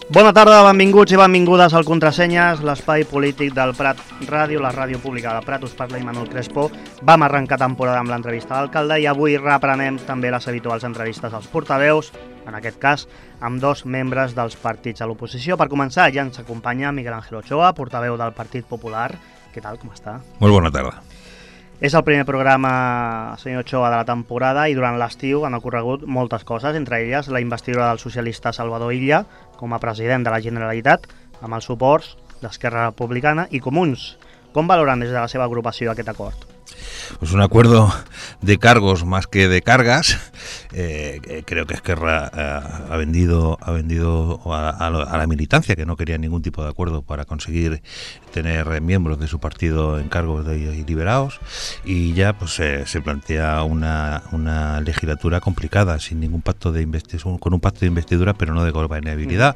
Bona tarda, benvinguts i benvingudes al Contrasenyes, l'espai polític del Prat Ràdio, la ràdio pública del Prat. Us parla Imanol Crespo. Vam arrencar temporada amb l'entrevista a l'alcalde i avui reprenem també les habituals entrevistes als portaveus, en aquest cas amb dos membres dels partits a l'oposició. Per començar, ja ens acompanya Miguel Ángel Ochoa, portaveu del Partit Popular. Què tal, com està? Molt bona tarda. És el primer programa, senyor Ochoa, de la temporada i durant l'estiu han ocorregut moltes coses, entre elles la investidura del socialista Salvador Illa com a president de la Generalitat, amb els suports d'Esquerra Republicana i Comuns. Com valoran des de la seva agrupació aquest acord? Pues un acuerdo de cargos más que de cargas. Creo que Esquerra ha vendido a la militancia, que no quería ningún tipo de acuerdo para conseguir tener miembros de su partido en cargos y liberados, y ya pues se plantea una legislatura complicada, sin ningún pacto de investidura, con un pacto de investidura, pero no de gobernabilidad,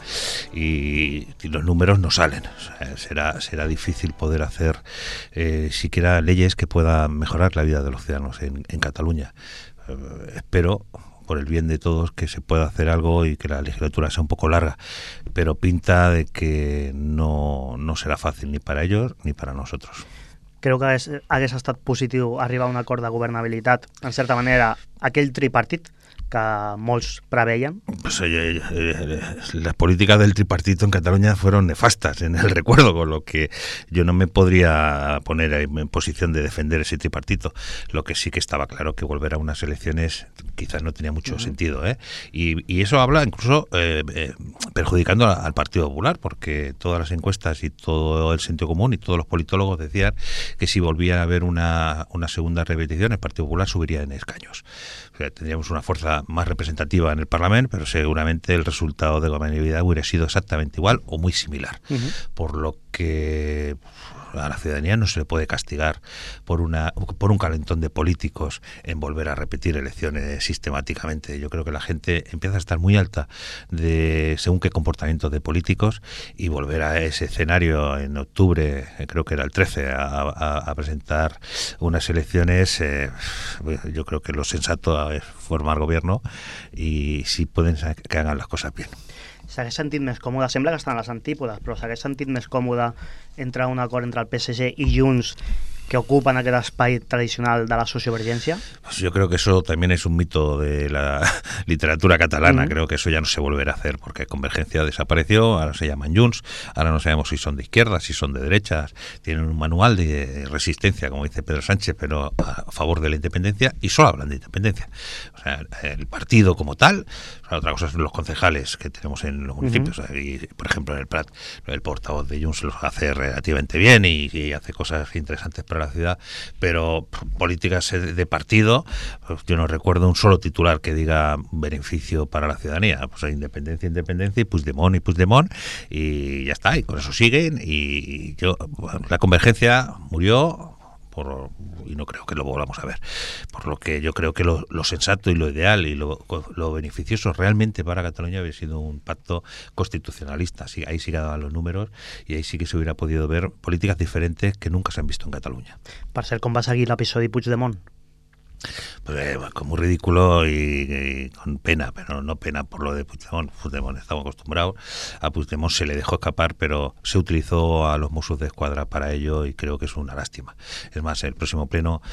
y los números no salen. O sea, será difícil poder hacer siquiera leyes que puedan mejorar la vida de los ciudadanos en Cataluña. Espero, por el bien de todos, que se pueda hacer algo y que la legislatura sea un poco larga, pero pinta de que no serà fàcil ni para ellos ni para nosotros. Creu que hagués estat positiu arribar a un acord de governabilitat, en certa manera, aquell tripartit que molts preveien? Pues, las políticas del tripartito en Cataluña fueron nefastas en el recuerdo, con lo que yo no me podría poner en posición de defender ese tripartito. Lo que sí que estaba claro que volver a unas elecciones quizás no tenía mucho sentido, ¿eh? Y eso habla incluso perjudicando al Partido Popular, porque todas las encuestas y todo el sentido común y todos los politólogos decían que si volvía a haber una segunda repetición, el Partido Popular subiría en escaños. O sea, tendríamos una fuerza más representativa en el Parlamento, pero seguramente el resultado de gobernabilidad hubiera sido exactamente igual o muy similar. Por lo que a la ciudadanía no se le puede castigar por un calentón de políticos en volver a repetir elecciones sistemáticamente. Yo creo que la gente empieza a estar muy alta de según qué comportamiento de políticos, y volver a ese escenario en octubre, creo que era el 13, a presentar unas elecciones, yo creo que lo sensato es formar gobierno, y si pueden que hagan las cosas bien. S'hagués sentit més còmode, sembla que estan a les antípodes, però s'hagués sentit més còmode entrar a un acord entre el PSG i Junts, que ocupan aquest espai tradicional de la sociovergència? Pues yo creo que eso también es un mito de la literatura catalana. Creo que eso ya no se volverá a hacer, porque Convergencia desapareció, ahora se llaman Junts, ahora no sabemos si son de izquierdas, si son de derechas, tienen un manual de resistencia, como dice Pedro Sánchez, pero a favor de la independencia, y solo hablan de independencia. O sea, el partido como tal, o sea, otra cosa son los concejales que tenemos en los municipios, y por ejemplo en el Prat, el portavoz de Junts los hace relativamente bien y hace cosas interesantes para la ciudad, pero políticas de partido, pues yo no recuerdo un solo titular que diga beneficio para la ciudadanía. Pues hay independencia y Puigdemont, y ya está, y con eso siguen, y la Convergencia murió y no creo que lo volvamos a ver, por lo que yo creo que lo sensato y lo ideal y lo beneficioso realmente para Cataluña habría sido un pacto constitucionalista. Sí, ahí sí que daban los números, y ahí sí que se hubiera podido ver políticas diferentes que nunca se han visto en Cataluña. Per cert, com va seguir l'episodi Puigdemont? Pues, como ridículo y con pena, pero no pena por lo de Puigdemont. Puigdemont estamos acostumbrados, a Puigdemont se le dejó escapar, pero se utilizó a los Mossos de Escuadra para ello, y creo que es una lástima. Es más, el próximo pleno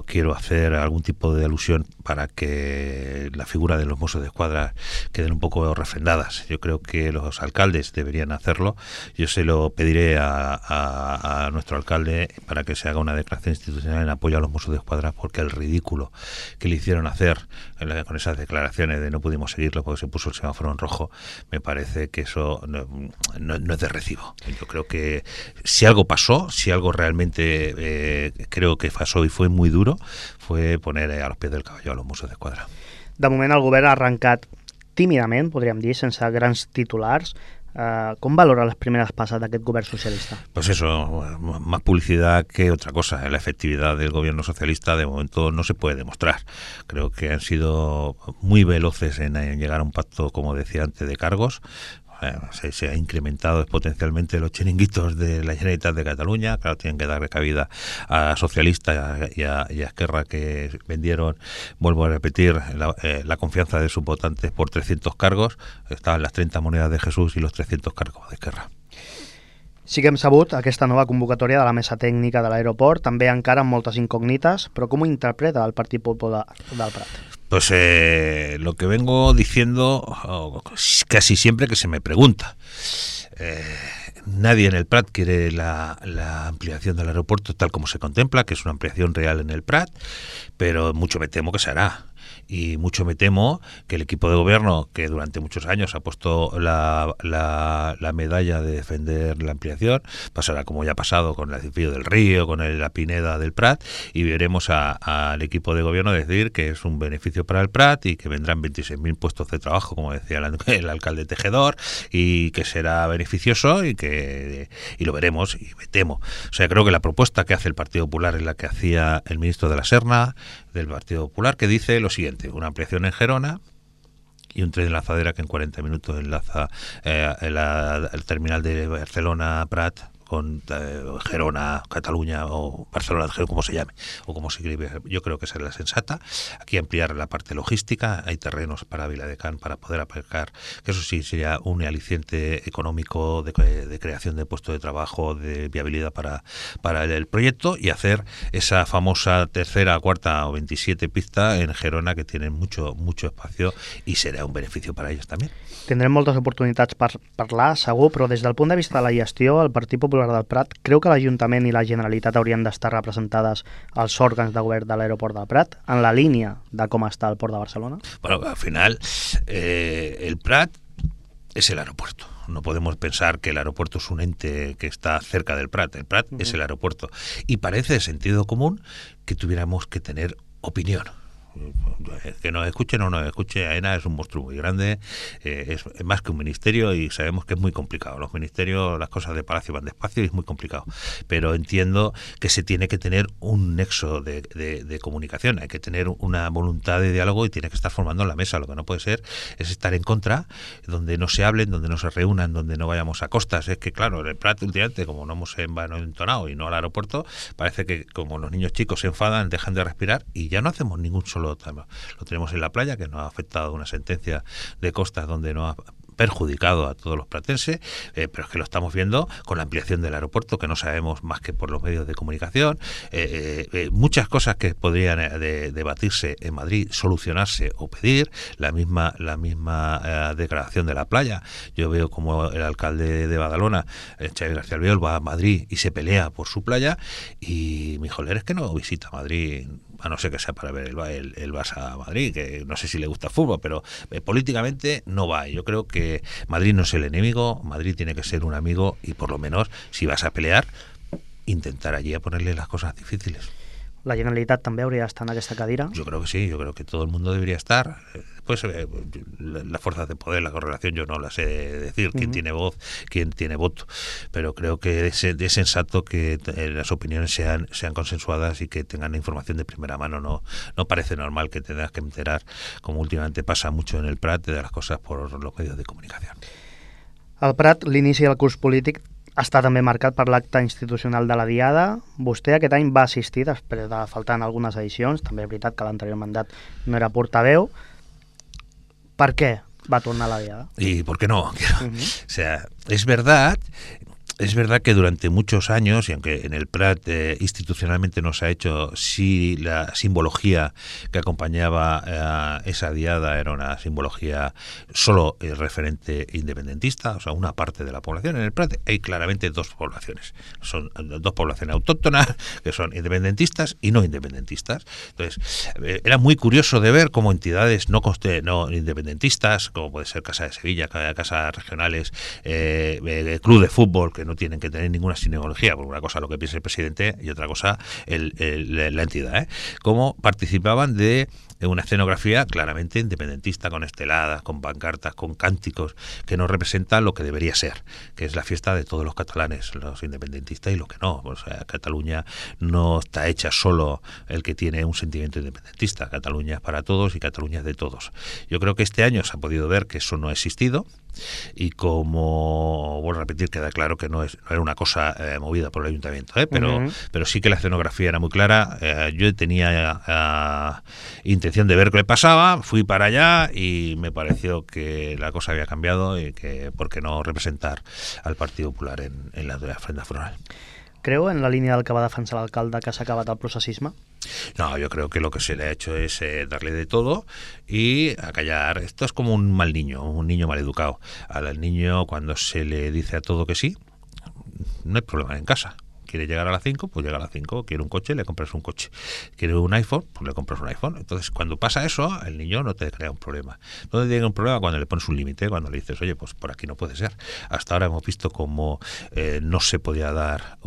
quiero hacer algún tipo de alusión para que la figura de los Mossos de Escuadra queden un poco refrendadas. Yo creo que los alcaldes deberían hacerlo. Yo se lo pediré a nuestro alcalde para que se haga una declaración institucional en apoyo a los Mossos de Escuadra, porque el ridículo que le hicieron hacer con esas declaraciones de no pudimos seguirlo porque se puso el semáforo en rojo, me parece que eso no es de recibo. Yo creo que si algo pasó, si algo realmente creo que pasó y fue muy duro, fue poner a los pies del caballo a los Mossos de Escuadra. De moment el govern ha arrencat tímidament, podríem dir, sense grans titulars. ¿Cómo valora las primeras pasas de aquest govern socialista? Pues eso, más publicidad que otra cosa. La efectividad del gobierno socialista de momento no se puede demostrar. Creo que han sido muy veloces en llegar a un pacto, como decía antes, de cargos. Se ha incrementado exponencialmente los chiringuitos de la Generalitat de Cataluña. Claro, tienen que darle cabida a socialistas y a Esquerra, que vendieron, vuelvo a repetir, la confianza de sus votantes por 300 cargos. Estaban las 30 monedas de Jesús y los 300 cargos de Esquerra. Sí que hem sabut aquesta nova convocatòria de la mesa tècnica de l'aeroport, també encara amb moltes incògnites, però com ho interpreta el Partit Popular del Prat? Pues lo que vengo diciendo casi siempre que se me pregunta. Nadie en el Prat quiere la ampliación del aeropuerto tal como se contempla, que es una ampliación real en el Prat, pero mucho me temo que se hará. Y mucho me temo que el equipo de gobierno, que durante muchos años ha puesto la medalla de defender la ampliación, pasará como ya ha pasado con el Desvío del Río, con la Pineda del Prat, y veremos al equipo de gobierno decir que es un beneficio para el Prat y que vendrán 26.000 puestos de trabajo, como decía el alcalde Tejedor, y que será beneficioso y lo veremos, y me temo. O sea, creo que la propuesta que hace el Partido Popular es la que hacía el ministro de la Serna, del Partido Popular, que dice lo siguiente: una ampliación en Gerona y un tren de lanzadera que en 40 minutos enlaza el terminal de Barcelona-Prat con Gerona, Cataluña o Barcelona, como se llame, o como se escribe. Yo creo que esa es la sensata. Aquí ampliar la parte logística, hay terrenos para Viladecans para poder aparcar, que eso sí sería un aliciente económico de creación de puestos de trabajo, de viabilidad para el proyecto, y hacer esa famosa tercera, cuarta o 27 pista en Gerona, que tienen mucho espacio, y será un beneficio para ellos también. Tindrem moltes oportunitats per parlar, segur, però des del punt de vista de la gestió, el Partit Popular del Prat creu que l'Ajuntament i la Generalitat haurien d'estar representades als òrgans de govern de l'aeroport del Prat, en la línia de com està el port de Barcelona? Bueno, al final, el Prat es el aeropuerto. No podemos pensar que el aeropuerto es un ente que está cerca del Prat. El Prat es el aeropuerto. Y parece de sentido común que tuviéramos que tener opinión. Que nos escuche o no nos escuche, AENA es un monstruo muy grande, es más que un ministerio, y sabemos que es muy complicado. Los ministerios, las cosas de palacio van despacio y es muy complicado, pero entiendo que se tiene que tener un nexo de comunicación, hay que tener una voluntad de diálogo y tiene que estar formando en la mesa. Lo que no puede ser es estar en contra, donde no se hablen, donde no se reúnan, donde no vayamos a costas. Es que claro, en el Prat últimamente, como no hemos entonado y no al aeropuerto, parece que como los niños chicos se enfadan, dejan de respirar y ya no hacemos ningún solo. Lo tenemos en la playa, que nos ha afectado una sentencia de costas donde nos ha perjudicado a todos los platenses, pero es que lo estamos viendo con la ampliación del aeropuerto, que no sabemos más que por los medios de comunicación. Muchas cosas que podrían debatirse en Madrid, solucionarse o pedir, la misma declaración de la playa. Yo veo como el alcalde de Badalona, Xavi García Albiol, va a Madrid y se pelea por su playa, y mi joler es que no visita Madrid, a no ser que sea para ver el Barça a Madrid, que no sé si le gusta el fútbol, pero políticamente no va. Yo creo que Madrid no es el enemigo, Madrid tiene que ser un amigo, y por lo menos, si vas a pelear, intentar allí a ponerle las cosas difíciles. La Generalitat també hauria d'estar en aquesta cadira? Yo creo que sí, yo creo que todo el mundo debería estar. Después, las fuerzas de poder, la correlación, yo no la sé decir, quién tiene voz, quién tiene voto, pero creo que es sensato que las opiniones sean consensuadas y que tengan información de primera mano. No parece normal que tengas que enterar, como últimamente pasa mucho en el Prat, de las cosas por los medios de comunicación. Al Prat, l'inici del curs polític està també marcat per l'acte institucional de la Diada. Vostè aquest any va assistir després de faltar en algunes edicions. També és veritat que l'anterior mandat no era portaveu. ¿Per qué va a tornar la Diada? ¿Y por qué no? O sea, es verdad que durante muchos años, y aunque en el Prat institucionalmente no se ha hecho, sí la simbología que acompañaba esa diada era una simbología solo referente independentista, o sea, una parte de la población. En el Prat hay claramente dos poblaciones. Son dos poblaciones autóctonas, que son independentistas y no independentistas. Entonces, era muy curioso de ver cómo entidades no independentistas, como puede ser Casa de Sevilla, casas regionales, club de fútbol, que no tienen que tener ninguna sinología, por una cosa lo que piensa el presidente y otra cosa la entidad, cómo participaban de una escenografía claramente independentista, con esteladas, con pancartas, con cánticos, que no representan lo que debería ser, que es la fiesta de todos los catalanes, los independentistas y los que no. O sea, Cataluña no está hecha solo el que tiene un sentimiento independentista. Cataluña es para todos y Cataluña es de todos. Yo creo que este año se ha podido ver que eso no ha existido, Y como, vuelvo a repetir, queda claro que no era una cosa movida por el ayuntamiento, pero sí que la escenografía era muy clara. Yo tenía intención de ver qué le pasaba, fui para allá y me pareció que la cosa había cambiado y que por qué no representar al Partido Popular en la frente foral. Creu en la línia del que va defensar l'alcalde que s'ha acabat el processisme? No, yo creo que lo que se le ha hecho es darle de todo y acallar. Esto es como un mal niño, un niño mal educado. Al niño, cuando se le dice a todo que sí, no hay problema en casa. Quiere llegar a las 5, pues llega a las 5. Quiere un coche, le compras un coche. Quiere un iPhone, pues le compras un iPhone. Entonces, cuando pasa eso, el niño no te crea un problema. No te llega un problema cuando le pones un límite, cuando le dices, oye, pues por aquí no puede ser. Hasta ahora hemos visto cómo no se podía dar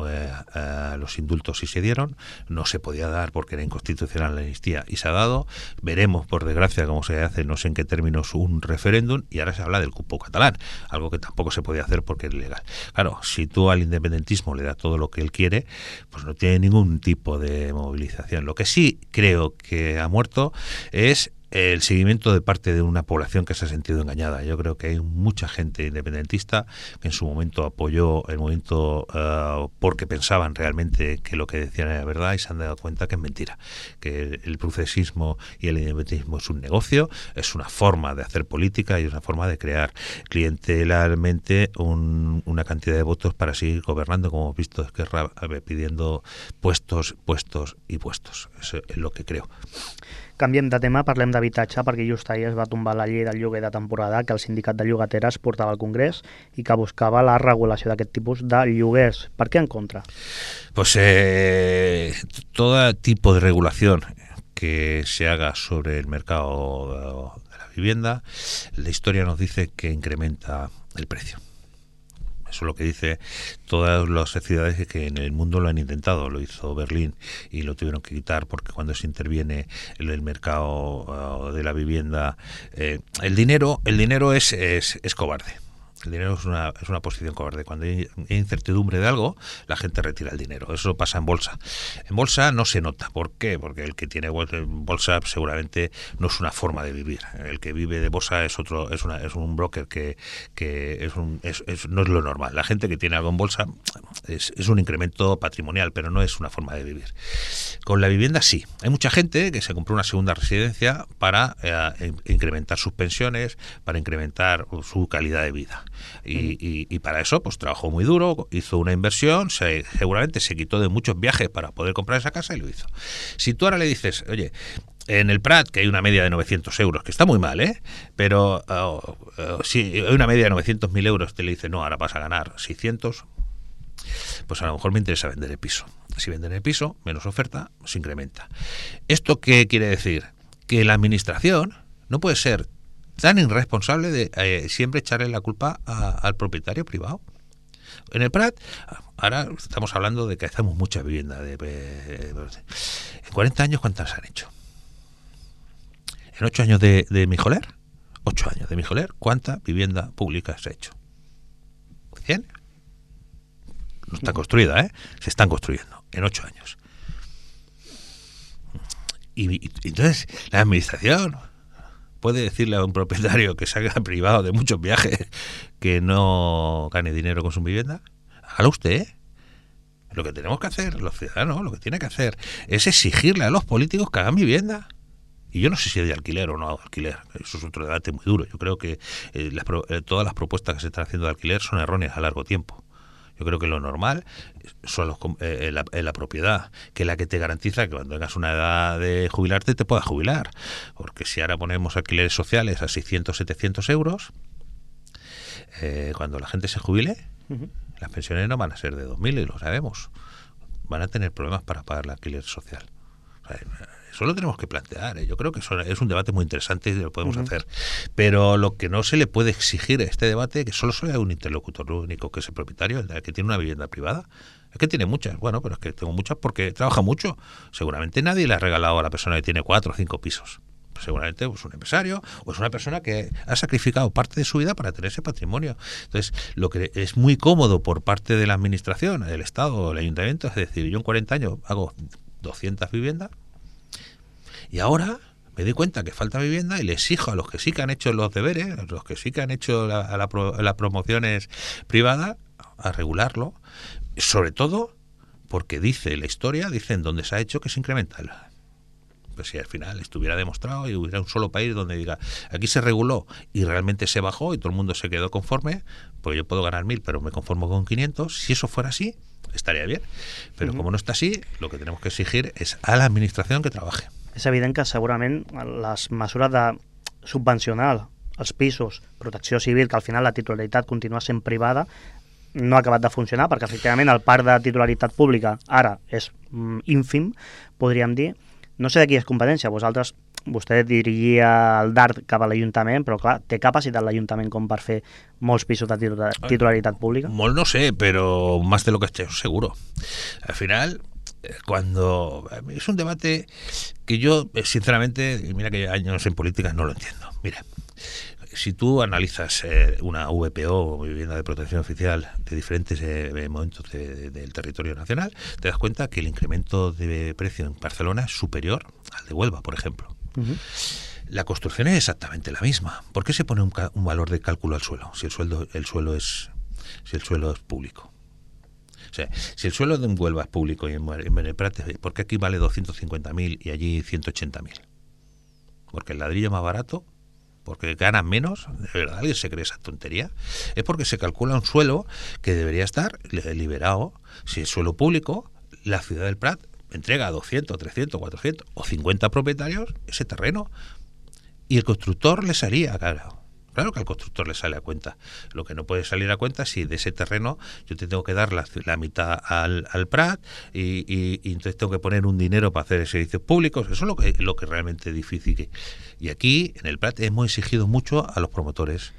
los indultos y se dieron, no se podía dar porque era inconstitucional la amnistía y se ha dado. Veremos, por desgracia, cómo se hace, no sé en qué términos, un referéndum, y ahora se habla del cupo catalán, algo que tampoco se podía hacer porque es ilegal. Claro, si tú al independentismo le das todo lo que él quiere, pues no tiene ningún tipo de movilización. Lo que sí creo que ha muerto es el seguimiento de parte de una población que se ha sentido engañada. Yo creo que hay mucha gente independentista que en su momento apoyó el movimiento porque pensaban realmente que lo que decían era verdad y se han dado cuenta que es mentira, que el procesismo y el independentismo es un negocio, es una forma de hacer política y es una forma de crear clientelarmente una cantidad de votos para seguir gobernando, como hemos visto Esquerra pidiendo puestos y puestos. Eso es lo que creo. Canviem de tema, parlem d'habitatge, perquè just ahir es va tombar la llei del lloguer de temporada que el sindicat de llogateres portava al Congrés i que buscava la regulació d'aquest tipus de lloguers. Per què en contra? Pues todo tipo de regulación que se haga sobre el mercado de la vivienda, la historia nos dice que incrementa el precio. Eso es lo que dice todas las ciudades que en el mundo lo han intentado. Lo hizo Berlín y lo tuvieron que quitar porque cuando se interviene en el mercado de la vivienda, el dinero es cobarde. El dinero es una posición cobarde. Cuando hay incertidumbre de algo, la gente retira el dinero. Eso pasa en bolsa. En bolsa no se nota. ¿Por qué? Porque el que tiene bolsa seguramente no es una forma de vivir. El que vive de bolsa es un broker que no es lo normal. La gente que tiene algo en bolsa es un incremento patrimonial, pero no es una forma de vivir. Con la vivienda sí. Hay mucha gente que se compró una segunda residencia para incrementar sus pensiones, para incrementar su calidad de vida. Y para eso pues trabajó muy duro, hizo una inversión, seguramente se quitó de muchos viajes para poder comprar esa casa y lo hizo. Si tú ahora le dices, oye, en el Prat, que hay una media de 900 euros, que está muy mal, pero si hay una media de 900.000 euros, te le dice, no, ahora vas a ganar 600, pues a lo mejor me interesa vender el piso. Si venden el piso, menos oferta, se incrementa. ¿Esto qué quiere decir? Que la administración no puede ser tan irresponsable de siempre echarle la culpa al propietario privado. En el Prat, ahora estamos hablando de que hacemos mucha vivienda. En 40 años, ¿cuántas han hecho? En 8 años de Mijoler, 8 años de Mijoler, ¿cuánta vivienda pública se ha hecho? 100. No está construida, se están construyendo en 8 años. Y entonces la administración puede decirle a un propietario que se haga privado de muchos viajes que no gane dinero con su vivienda. Hágalo usted. Lo que tenemos que hacer, los ciudadanos, lo que tiene que hacer es exigirle a los políticos que hagan vivienda. Y yo no sé si es de alquiler o no de alquiler. Eso es otro debate muy duro. Yo creo que todas las propuestas que se están haciendo de alquiler son erróneas a largo tiempo. Yo creo que lo normal son la propiedad, que es la que te garantiza que cuando tengas una edad de jubilarte te puedas jubilar. Porque si ahora ponemos alquileres sociales a 600, 700 euros, cuando la gente se jubile, las pensiones no van a ser de 2.000, y lo sabemos. Van a tener problemas para pagar el alquiler social. O sea, eso lo tenemos que plantear. Yo creo que eso es un debate muy interesante y lo podemos hacer. Pero lo que no se le puede exigir a este debate es que solo sea un interlocutor único, que es el propietario, el que tiene una vivienda privada. Es que tiene muchas. Bueno, pero es que tengo muchas porque trabaja mucho. Seguramente nadie le ha regalado a la persona que tiene 4 o 5 pisos. Pues seguramente es un empresario o es una persona que ha sacrificado parte de su vida para tener ese patrimonio. Entonces, lo que es muy cómodo por parte de la administración, del Estado o del Ayuntamiento, es decir, yo en 40 años hago 200 viviendas y ahora me doy cuenta que falta vivienda y le exijo a los que sí que han hecho los deberes, a los que sí que han hecho las promociones privadas, a regularlo, sobre todo porque dice la historia, dicen dónde se ha hecho que se incrementa. Pues si al final estuviera demostrado y hubiera un solo país donde diga, aquí se reguló y realmente se bajó y todo el mundo se quedó conforme, pues yo puedo ganar 1.000, pero me conformo con 500, si eso fuera así, estaría bien. Pero como no està así, lo que tenemos que exigir es a la administración que trabaje. És evident que segurament les mesures de subvencionar els pisos, protecció civil, que al final la titularitat continua sent privada, no ha acabat de funcionar, perquè efectivament el parc de titularitat pública ara és ínfim, podríem dir. No sé de qui és competència, vostè dirigia el DART cap a l'Ajuntament, però clar, té capacitat l'Ajuntament com per fer molts pisos de titularitat pública? Molt no sé, pero más de lo que estoy seguro. Al final, cuando es un debate que yo, sinceramente, y mira que años en política no lo entiendo. Mira, si tú analizas una VPO, vivienda de protección oficial, de diferentes momentos del territorio nacional, te das cuenta que el incremento de precio en Barcelona es superior al de Huelva, por ejemplo. La construcción es exactamente la misma. ¿Por qué se pone un valor de cálculo al suelo si el suelo es público? O sea, si el suelo de Huelva es público y en Beneprat, ¿por qué aquí vale 250.000 y allí 180.000? Porque el ladrillo es más barato, porque ganan menos. ¿De verdad alguien se cree esa tontería? Es porque se calcula un suelo que debería estar liberado. Si es suelo público, la ciudad del Prat entrega a 200, 300, 400 o 50 propietarios ese terreno y el constructor le salía, claro que al constructor le sale a cuenta. Lo que no puede salir a cuenta es si de ese terreno yo te tengo que dar la mitad al Prat y entonces tengo que poner un dinero para hacer servicios públicos. Eso es lo que realmente es difícil. Y aquí, en el Prat, hemos exigido mucho a los promotores.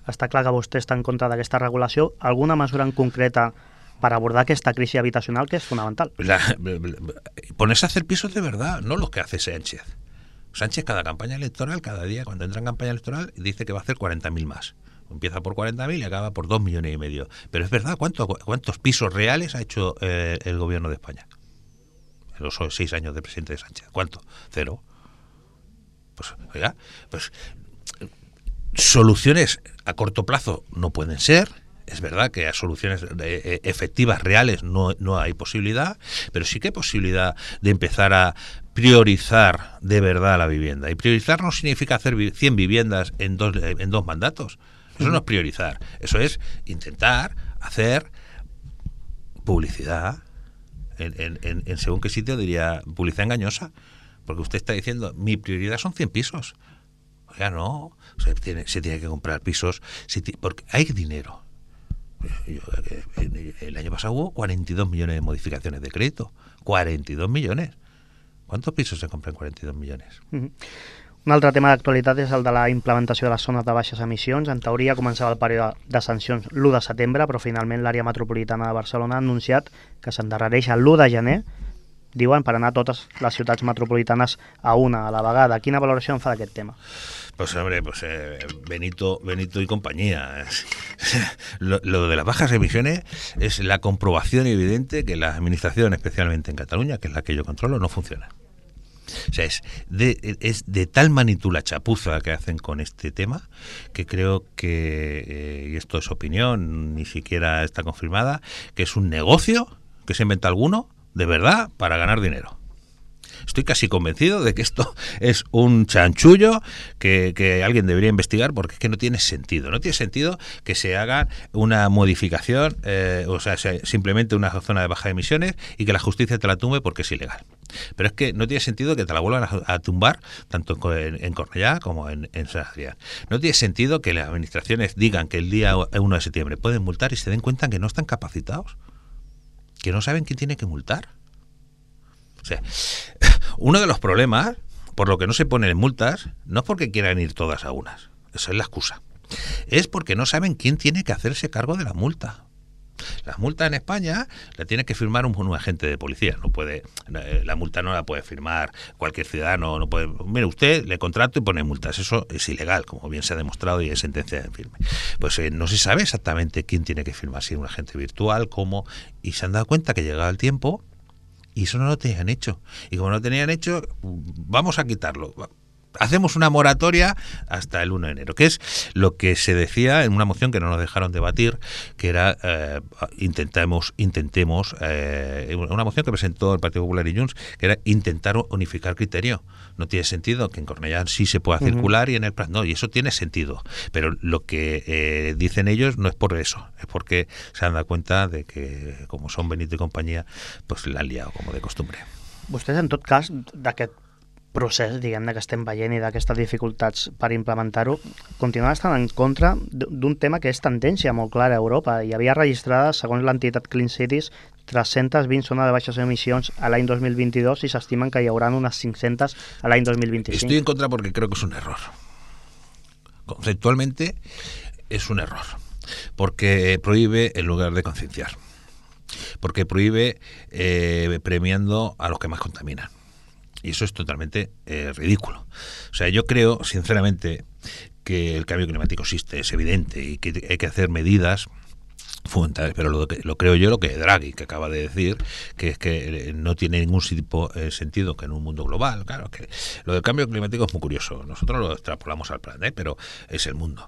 Està clar que vostè està en contra d'aquesta regulació. Alguna mesura en concreta para abordar esta crisis habitacional que es fundamental? Ponerse a hacer pisos de verdad, no los que hace Sánchez. Sánchez cada campaña electoral, cada día cuando entra en campaña electoral, dice que va a hacer 40.000 más. Empieza por 40.000 y acaba por 2,5 millones. Pero es verdad, ¿cuántos pisos reales ha hecho el gobierno de España? En los 6 años de presidente de Sánchez. ¿Cuánto? 0. Pues, oiga, pues soluciones a corto plazo no pueden ser. Es verdad que a soluciones efectivas, reales, no hay posibilidad, pero sí que hay posibilidad de empezar a priorizar de verdad la vivienda. Y priorizar no significa hacer 100 viviendas en dos mandatos. Eso no es priorizar. Eso es intentar hacer publicidad. En según qué sitio diría publicidad engañosa. Porque usted está diciendo, mi prioridad son 100 pisos. Oiga, no. Se tiene que comprar pisos porque hay dinero. El año pasado hubo 42 millones de modificaciones de crédito. 42 millones. ¿Cuántos pisos se compran 42 millones? Un altre tema d'actualitat és el de la implementació de les zones de baixes emissions. En teoria començava el període de sancions l'1 de setembre, però finalment l'àrea metropolitana de Barcelona ha anunciat que s'endarrereix l'1 de gener, diuen, per anar totes les ciutats metropolitanes a una a la vegada. Quina valoració en fa d'aquest tema? Pues hombre, Benito y compañía. Lo de las bajas emisiones es la comprobación evidente que la administración, especialmente en Cataluña, que es la que yo controlo, no funciona. O sea, es de tal magnitud la chapuza que hacen con este tema que creo que, y esto es opinión, ni siquiera está confirmada, que es un negocio que se inventa alguno, de verdad, para ganar dinero. Estoy casi convencido de que esto es un chanchullo que alguien debería investigar, porque es que no tiene sentido. No tiene sentido que se haga una modificación, o sea, simplemente una zona de baja emisiones y que la justicia te la tumbe porque es ilegal. Pero es que no tiene sentido que te la vuelvan a tumbar tanto en Cornellá como en San Adrián. No tiene sentido que las administraciones digan que el día 1 de septiembre pueden multar y se den cuenta que no están capacitados, que no saben quién tiene que multar. O sea, uno de los problemas, por lo que no se ponen multas, no es porque quieran ir todas a unas, esa es la excusa, es porque no saben quién tiene que hacerse cargo de la multa. La multa en España la tiene que firmar un agente de policía, no puede, la multa no la puede firmar cualquier ciudadano, no puede, mire usted, le contrato y pone multas, eso es ilegal, como bien se ha demostrado y es sentencia en firme. Pues no se sabe exactamente quién tiene que firmar, si es un agente virtual, cómo, y se han dado cuenta que llegado el tiempo y eso no lo tenían hecho. Y como no lo tenían hecho, vamos a quitarlo. hacemos una moratoria hasta el 1 de enero, que es lo que se decía en una moción que no nos dejaron debatir, que era intentemos una moción que presentó el Partido Popular y Junts, que era intentar unificar criterio. No tiene sentido que en Cornellà sí se pueda circular y en el Prat no, y eso tiene sentido, pero lo que dicen ellos no es por eso, es porque se han dado cuenta de que, como son Benito y compañía, pues la han liado como de costumbre. Vostès, en tot cas, d'aquest procés, diguem-ne, que estem veient i d'aquestes dificultats per implementar-ho, continuen estant en contra d'un tema que és tendència molt clara a Europa. Hi havia registrades, segons l'entitat Clean Cities, 320 zones de baixes emissions a l'any 2022 i s'estimen que hi haurà unes 500 a l'any 2025. Estoy en contra porque creo que es un error. Conceptualmente es un error, porque prohíbe en lugar de concienciar, porque prohíbe premiando a los que más contaminan. Y eso es totalmente ridículo. O sea, yo creo, sinceramente, que el cambio climático existe, es evidente, y que hay que hacer medidas fundamentales, pero lo creo yo, lo que Draghi, que acaba de decir, que es que no tiene ningún tipo de sentido que en un mundo global, claro, que lo del cambio climático es muy curioso. Nosotros lo extrapolamos al Prat, pero es el mundo.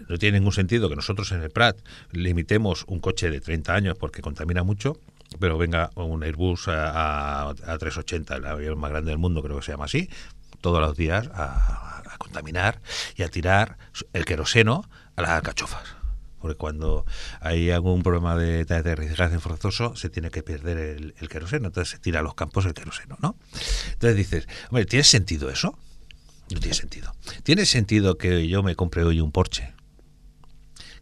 No tiene ningún sentido que nosotros en el Prat limitemos un coche de 30 años porque contamina mucho, pero venga un Airbus a 380, el avión más grande del mundo, creo que se llama así, todos los días a contaminar y a tirar el queroseno a las alcachofas. Porque cuando hay algún problema de aterrizaje forzoso se tiene que perder el queroseno, entonces se tira a los campos el queroseno, ¿no? Entonces dices, hombre, ¿tiene sentido eso? No tiene sentido. ¿Tiene sentido que yo me compre hoy un Porsche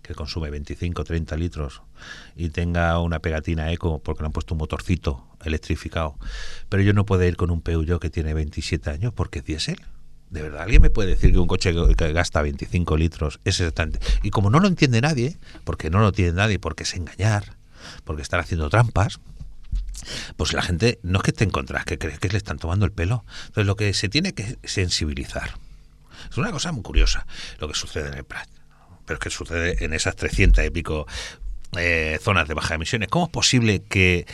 que consume 25 o 30 litros y tenga una pegatina eco porque le han puesto un motorcito electrificado, pero yo no puedo ir con un Peugeot que tiene 27 años porque es diésel? ¿De verdad alguien me puede decir que un coche que gasta 25 litros es exactamente? Y como no lo entiende nadie, porque no lo entiende nadie, porque es engañar, porque están haciendo trampas, pues la gente no es que esté en contra, es que cree que le están tomando el pelo. Entonces lo que se tiene que sensibilizar. Es una cosa muy curiosa lo que sucede en el Prat, pero es que sucede en esas 300 y pico zonas de baja emisiones. ¿Cómo es posible que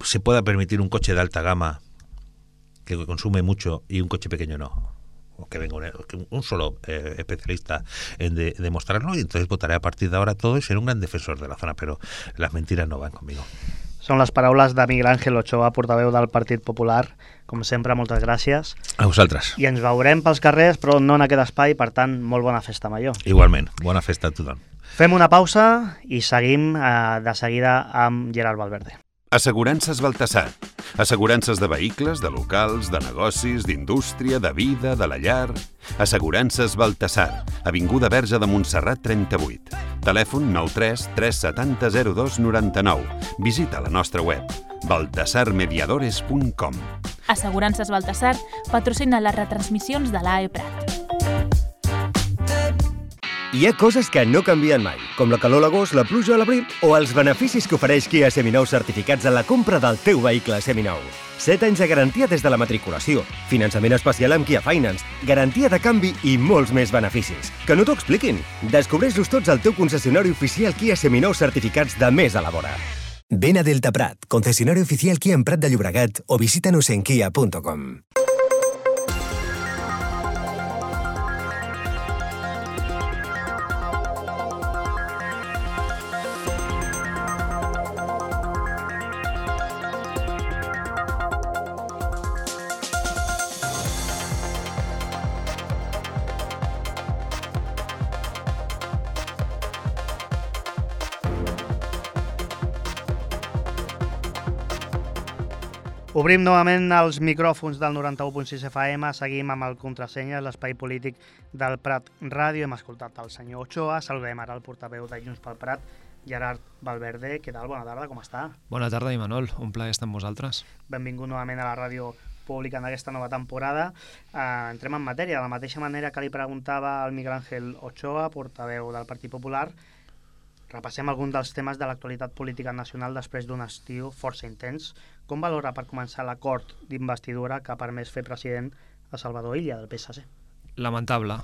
se pueda permitir un coche de alta gama que consume mucho y un coche pequeño no? O que venga un solo especialista en demostrarlo, y entonces votaré a partir de ahora todo y seré un gran defensor de la zona, pero las mentiras no van conmigo. Són les paraules de Miguel Ángel Ochoa, portaveu del Partit Popular. Com sempre, moltes gràcies. A vosaltres. I ens veurem pels carrers, però no en aquest espai, per tant, molt bona festa major. Igualment, bona festa a tothom. Fem una pausa i seguim de seguida amb Gerard Valverde. Assegurances Baltasar. Assegurances de vehicles, de locals, de negocis, d'indústria, de vida, de la llar. Assegurances Baltasar. Avinguda Verge de Montserrat 38. Telèfon 93 370 02 99. Visita la nostra web baltasarmediadores.com. Assegurances Baltasar patrocina les retransmissions de l'AE Prat. Hi ha coses que no canvien mai, com la calor a l'agost, la pluja a l'abril o els beneficis que ofereix Kia Seminou certificats en la compra del teu vehicle seminou. 7 anys de garantia des de la matriculació, finançament especial amb Kia Finance, garantia de canvi i molts més beneficis. Que no t'ho expliquin! Descobreix-los tots al teu concessionari oficial Kia Seminou certificats de més a la vora. Ven a Delta Prat, concesionario oficial Kia en Prat de Llobregat o visítanos en kia.com. Obrim novament els micròfons del 91.6 FM, seguim amb el Contrasenyes, l'espai polític del Prat Ràdio. Hem escoltat el senyor Ochoa, saludem ara el portaveu de Junts pel Prat, Gerard Valverde. Què tal? Bona tarda, com està? Bona tarda, Imanol. Un plaer estar amb vosaltres. Benvingut novament a la ràdio pública en aquesta nova temporada. Entrem en matèria. De la mateixa manera que li preguntava al Miguel Ángel Ochoa, portaveu del Partit Popular, repassem alguns dels temes de l'actualitat política nacional després d'un estiu força intens. Com valora, per començar, l'acord d'investidura que ha permès fer president a Salvador Illa, del PSC? Lamentable.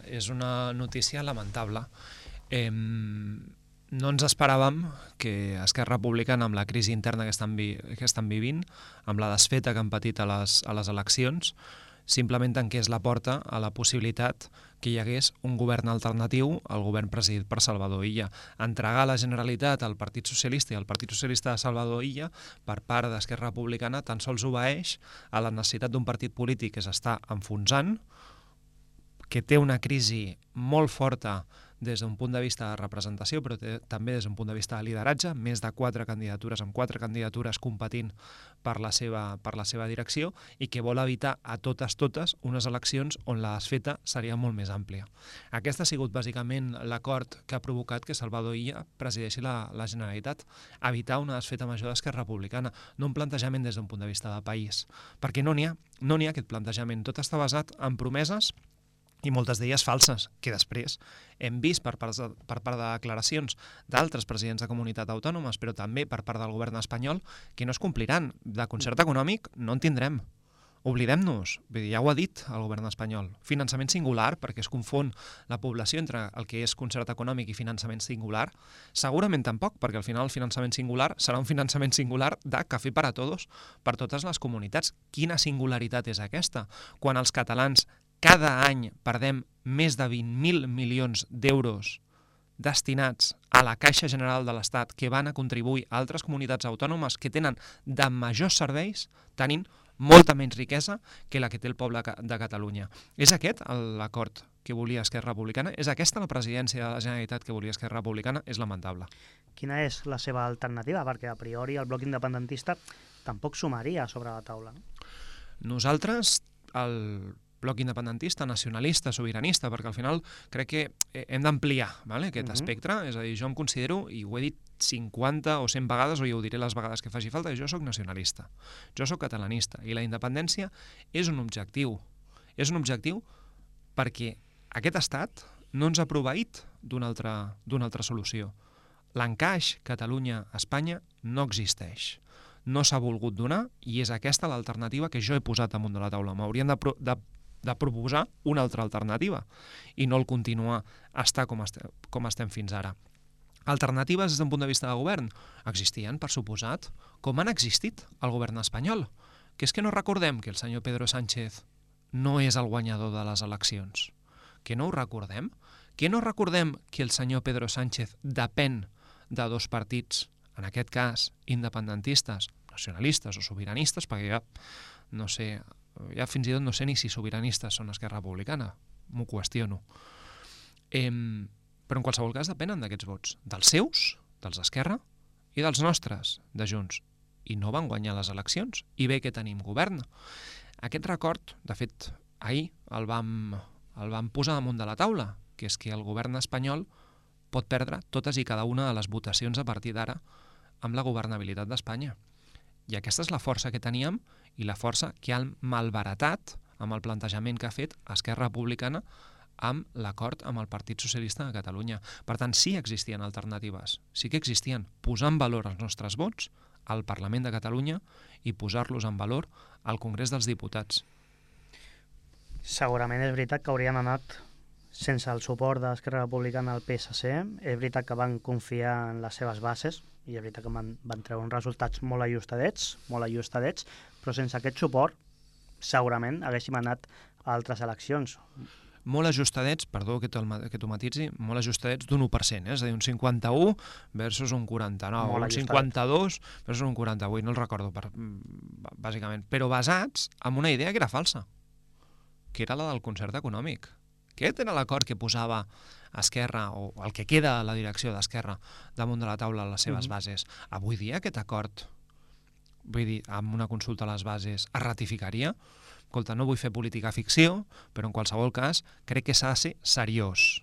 És una notícia lamentable. No ens esperàvem que Esquerra Republicana, amb la crisi interna que estan vivint, amb la desfeta que han patit a les eleccions, simplement tanqués la porta a la possibilitat que hi hagués un govern alternatiu al govern presidit per Salvador Illa. Entregar la Generalitat al Partit Socialista i al Partit Socialista de Salvador Illa per part d'Esquerra Republicana tan sols obeeix a la necessitat d'un partit polític que s'està enfonsant, que té una crisi molt forta des d'un punt de vista de representació, però també des d'un punt de vista de lideratge, més de 4 candidatures, amb 4 candidatures competint per la seva direcció, i que vol evitar a totes unes eleccions on la desfeta seria molt més àmplia. Aquest ha sigut bàsicament l'acord que ha provocat que Salvador Illa presideixi la Generalitat, evitar una desfeta major d'Esquerra Republicana, no un plantejament des d'un punt de vista de país, perquè no n'hi ha aquest plantejament, tot està basat en promeses i moltes d'elles falses, que després hem vist per part de declaracions d'altres presidents de comunitat autònomes, però també per part del govern espanyol, que no es compliran. De concert econòmic no en tindrem. Oblidem-nos, ja ho ha dit el govern espanyol. Finançament singular, perquè es confon la població entre el que és concert econòmic i finançament singular. Segurament tampoc, perquè al final el finançament singular serà un finançament singular de cafè per a tots, per totes les comunitats. Quina singularitat és aquesta? Quan els catalans cada any perdem més de 20.000 milions d'euros destinats a la Caixa General de l'Estat, que van a contribuir a altres comunitats autònomes que tenen de majors serveis, tenint molta menys riquesa que la que té el poble de Catalunya. És aquest l'acord que volia Esquerra Republicana? És aquesta la presidència de la Generalitat que volia Esquerra Republicana? És lamentable. Quina és la seva alternativa? Perquè a priori el bloc independentista tampoc sumaria sobre la taula. Nosaltres, el bloc independentista, nacionalista, sobiranista, perquè al final crec que hem d'ampliar aquest espectre, és a dir, jo em considero, i ho he dit 50 o 100 vegades, o ja ho diré les vegades que faci falta, jo sóc nacionalista, jo sóc catalanista, i la independència és un objectiu. És un objectiu perquè aquest estat no ens ha proveït d'una altra solució. L'encaix Catalunya-Espanya no existeix. No s'ha volgut donar, i és aquesta l'alternativa que jo he posat damunt de la taula. M'haurien de proposar una altra alternativa i no el continuar a estar com estem fins ara. Alternatives des d'un punt de vista de govern existien, per suposat, com han existit al govern espanyol, que és que no recordem que el senyor Pedro Sánchez no és el guanyador de les eleccions, que no ho recordem, que no recordem que el senyor Pedro Sánchez depèn de 2 partits, en aquest cas independentistes, nacionalistes o sobiranistes, perquè ja fins i tot no sé ni si sobiranistes són Esquerra Republicana, m'ho qüestiono. Però en qualsevol cas depenen d'aquests vots, dels seus, dels d'Esquerra, i dels nostres, de Junts. I no van guanyar les eleccions, i bé que tenim govern. Aquest record, de fet, ahir el vam posar damunt de la taula, que és que el govern espanyol pot perdre totes i cada una de les votacions a partir d'ara amb la governabilitat d'Espanya. I aquesta és la força que teníem i la força que han malbaratat amb el plantejament que ha fet Esquerra Republicana amb l'acord amb el Partit Socialista de Catalunya. Per tant, sí existien alternatives, sí que existien posar en valor els nostres vots al Parlament de Catalunya i posar-los en valor al Congrés dels Diputats. Segurament és veritat que haurien anat sense el suport d'Esquerra Republicana al PSC. És veritat que van confiar en les seves bases i és veritat que van treure uns resultats molt ajustadets, però sense aquest suport segurament haguéssim anat a altres eleccions. Molt ajustadets, perdó que t'ho matitzi, molt ajustadets d'un 1%, és a dir, un 51 versus un 49, un 52 versus un 48, no el recordo bàsicament, però basats en una idea que era falsa, que era la del concert econòmic. Aquest era l'acord que posava Esquerra, o el que queda a la direcció d'Esquerra, damunt de la taula a les seves bases. Avui dia aquest acord, vull dir, amb una consulta a les bases, es ratificaria? Escolta, no vull fer política ficció, però en qualsevol cas crec que s'ha de ser seriós.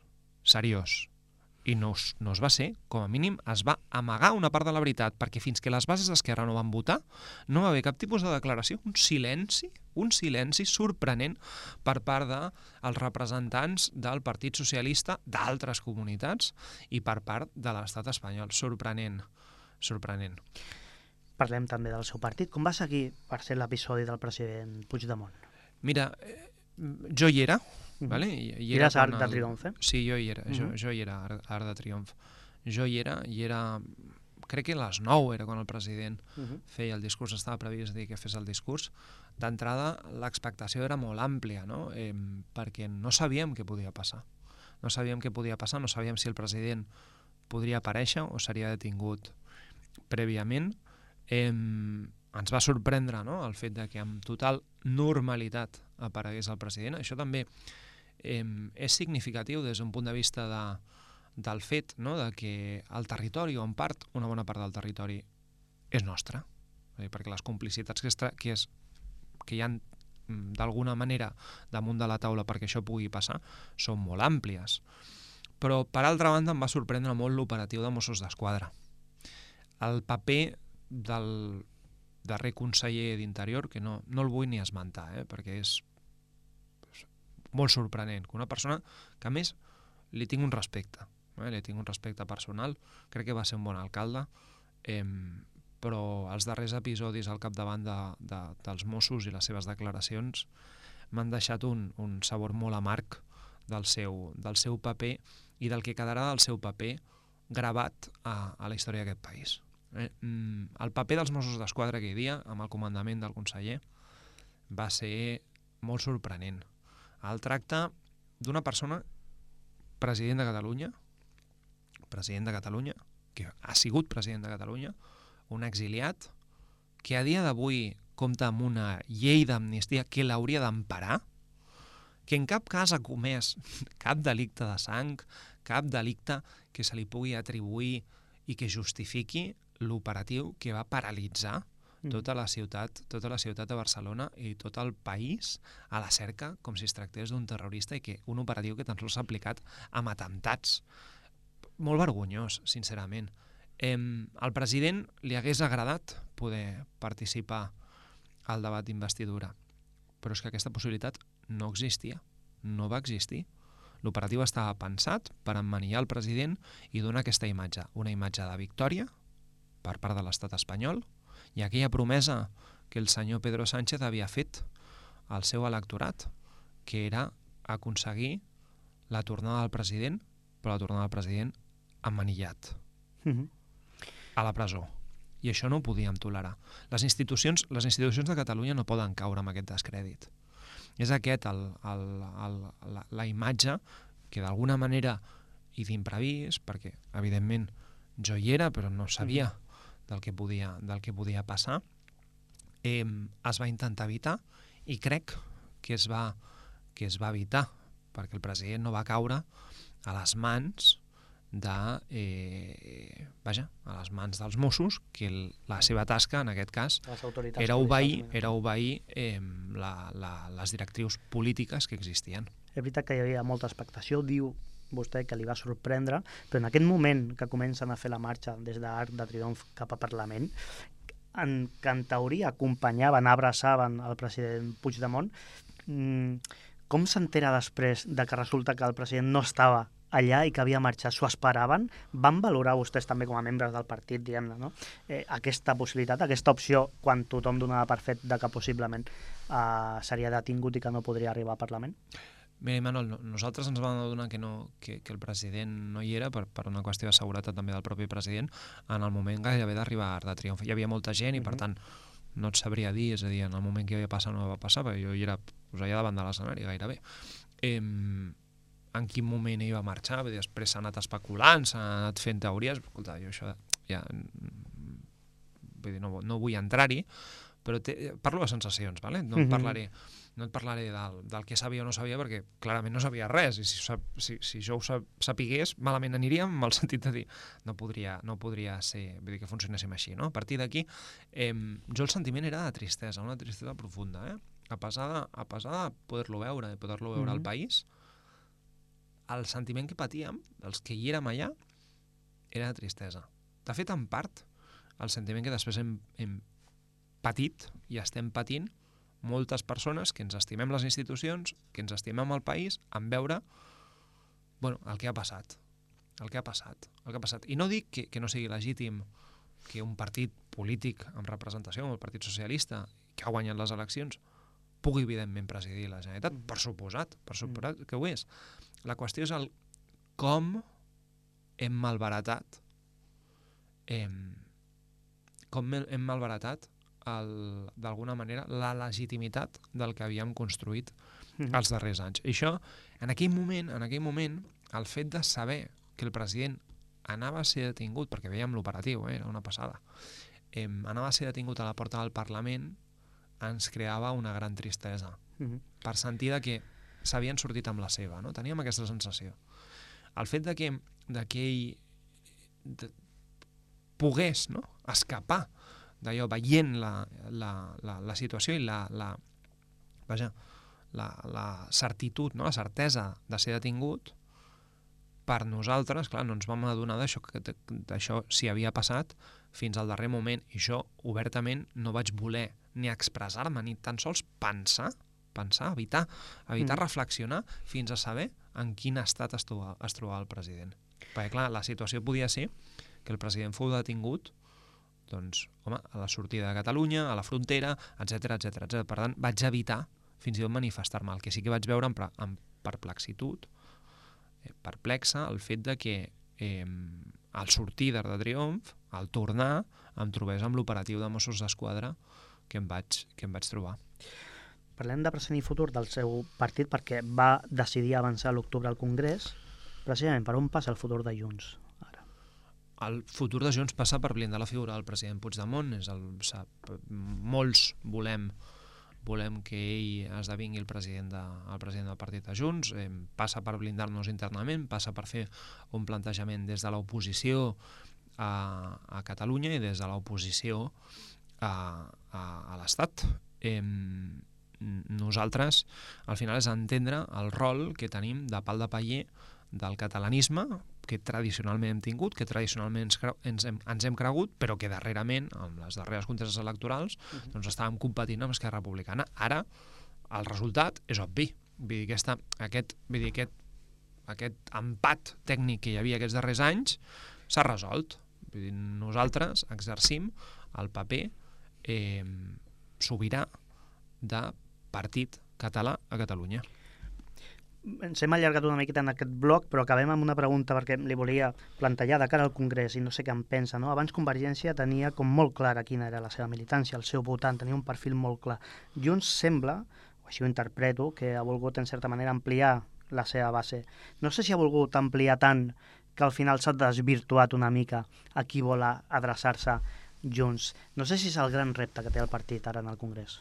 I no es va ser, com a mínim es va amagar una part de la veritat, perquè fins que les bases d'Esquerra no van votar, no va haver cap tipus de declaració, un silenci sorprenent per part dels representants del Partit Socialista d'altres comunitats i per part de l'estat espanyol. Sorprenent. Parlem també del seu partit. Com va seguir per ser l'episodi del president Puigdemont? Mira, jo hi era, vale? Eres Arc de Triomf, eh? Sí, jo hi era, jo hi era Arc de Triomf. Jo hi era crec que a les 9 era quan el president feia el discurs, estava previst dir que fes el discurs. D'entrada, l'expectació era molt àmplia, no? Perquè no sabíem què podia passar. No sabíem si el president podria aparèixer o seria detingut prèviament. Ens va sorprendre, no?, el fet de que amb total normalitat aparegués el president. Això també és significatiu des d'un punt de vista del fet, no?, de que el territori, o en part, una bona part del territori, és nostre. Perquè les complicitats que hi ha d'alguna manera damunt de la taula perquè això pugui passar són molt àmplies. Però, per altra banda, em va sorprendre molt l'operatiu de Mossos d'Esquadra. El paper del darrer conseller d'Interior, que no el vull ni esmentar, perquè és molt sorprenent, que una persona que, a més, li tinc un respecte, li tinc un respecte personal, crec que va ser un bon alcalde, però els darrers episodis al capdavant dels Mossos i les seves declaracions m'han deixat un sabor molt amarg del seu paper i del que quedarà del seu paper gravat a la història d'aquest país. El paper dels Mossos d'Esquadra aquell dia, amb el comandament del conseller, va ser molt sorprenent. El tracte d'una persona, president de Catalunya, que ha sigut president de Catalunya, un exiliat, que a dia d'avui compta amb una llei d'amnistia que l'hauria d'emparar, que en cap cas ha comès cap delicte de sang, cap delicte que se li pugui atribuir i que justifiqui l'operatiu que va paralitzar tota la ciutat de Barcelona i tot el país a la cerca, com si es tractés d'un terrorista, i que un operatiu que tan sols s'ha aplicat amb atemptats. Molt vergonyós, sincerament. Al president li hagués agradat poder participar al debat d'investidura, però és que aquesta possibilitat no existia, no va existir. L'operatiu estava pensat per emmanillar el president i donar aquesta imatge, una imatge de victòria per part de l'estat espanyol, i aquella promesa que el senyor Pedro Sánchez havia fet al seu electorat, que era aconseguir la tornada del president, però la tornada del president emmanillat a la presó. I això no ho podíem tolerar. Les institucions de Catalunya no poden caure amb aquest descrèdit. És aquest la imatge que d'alguna manera, i d'imprevist, perquè evidentment jo hi era però no sabia del que podia passar, es va intentar evitar, i crec que es va evitar, perquè el president no va caure a les mans a les mans dels Mossos, que la seva tasca, en aquest cas, era obeir les directrius polítiques que existien. És veritat que hi havia molta expectació, diu vostè que li va sorprendre, però en aquest moment que comencen a fer la marxa des d'Arc de Triomf cap a Parlament, que en teoria acompanyaven, abraçaven el president Puigdemont, com s'entera després de que resulta que el president no estava allà i que havia marxat? S'ho esperaven? Van valorar vostès també com a membres del partit, diguem-ne, no? Aquesta possibilitat, aquesta opció, quan tothom donava per fet de que possiblement seria detingut i que no podria arribar al Parlament? Mira, Imanol, nosaltres ens vam adonar que el president no hi era per una qüestió de seguretat també del propi president en el moment gairebé d'arribar a Arc de Triomf. Hi havia molta gent i, per tant, no et sabria dir, és a dir, en el moment que havia passat no va passar, perquè jo hi era allà davant de l'escenari gairebé. En quin moment ell va marxar? Després s'ha anat especulant, s'ha anat fent teories. Escolta, jo això ja... Vull dir, no vull entrar-hi, però parlo de sensacions, ¿vale? No et parlaré del que sabia o no sabia, perquè clarament no sabia res, i si jo ho sapigués, malament aniríem, en el sentit de dir, no podria ser, vull dir, que funcionéssim així, no? A partir d'aquí, jo el sentiment era de tristesa, una tristesa profunda, a pesar de poder-lo veure, al país, el sentiment que patíem, els que hi érem allà, era de tristesa. De fet, en part, el sentiment que després hem patit i estem patint moltes persones que ens estimem les institucions, que ens estimem el país, en veure el que ha passat. I no dic que no sigui legítim que un partit polític amb representació, com el Partit Socialista, que ha guanyat les eleccions, pugui, evidentment, presidir la Generalitat, per suposat que ho és. La qüestió és com hem malbaratat com hem malbaratat d'alguna manera la legitimitat del que havíem construït els darrers anys. I això, en aquell moment, el fet de saber que el president anava a ser detingut, perquè veiem l'operatiu, era una passada, anava a ser detingut a la porta del Parlament, ens creava una gran tristesa, per sentir que s'havien sortit amb la seva, no? Teníem aquesta sensació. El fet de que ell pogués, no?, escapar d'allò, veient la situació i la certitud, no?, la certesa de ser detingut, per nosaltres, clar, no ens vam adonar d'això si havia passat fins al darrer moment, i jo obertament no vaig voler ni expressar-me, ni tan sols pensar, evitar reflexionar fins a saber en quin estat es trobava el president. Perquè, clar, la situació podia ser que el president fou detingut, doncs, home, a la sortida de Catalunya, a la frontera, etc. Per tant, vaig evitar fins i tot manifestar-me. El que sí que vaig veure amb perplexitud, perplexa, el fet de que al sortir d'Arc de Triomf, al tornar, em trobés amb l'operatiu de Mossos d'Esquadra que em vaig trobar. Parlem de present i futur del seu partit perquè va decidir avançar a l'octubre al Congrés. Precisament, per on passa el futur de Junts ara? El futur de Junts passa per blindar la figura del president Puigdemont. Molts volem que ell esdevingui el president del partit de Junts. Passa per blindar-nos internament, passa per fer un plantejament des de l'oposició a Catalunya i des de l'oposició a l'Estat. Nosaltres, al final, és entendre el rol que tenim de pal de paller del catalanisme, que tradicionalment hem tingut, que tradicionalment ens hem cregut, però que darrerament, amb les darreres conteses electorals, doncs estàvem competint amb Esquerra Republicana. Ara, el resultat és obvi. Vull dir, aquest empat tècnic que hi havia aquests darrers anys s'ha resolt. Vull dir, nosaltres exercim el paper sobirà de partit català a Catalunya. Ens hem allargat una miqueta en aquest bloc, però acabem amb una pregunta perquè li volia plantejar de cara al Congrés i no sé què en pensa, no? Abans Convergència tenia com molt clara quina era la seva militància, el seu votant, tenia un perfil molt clar. Junts sembla, o així ho interpreto, que ha volgut en certa manera ampliar la seva base. No sé si ha volgut ampliar tant que al final s'ha desvirtuat una mica a qui vol adreçar-se Junts. No sé si és el gran repte que té el partit ara en el Congrés.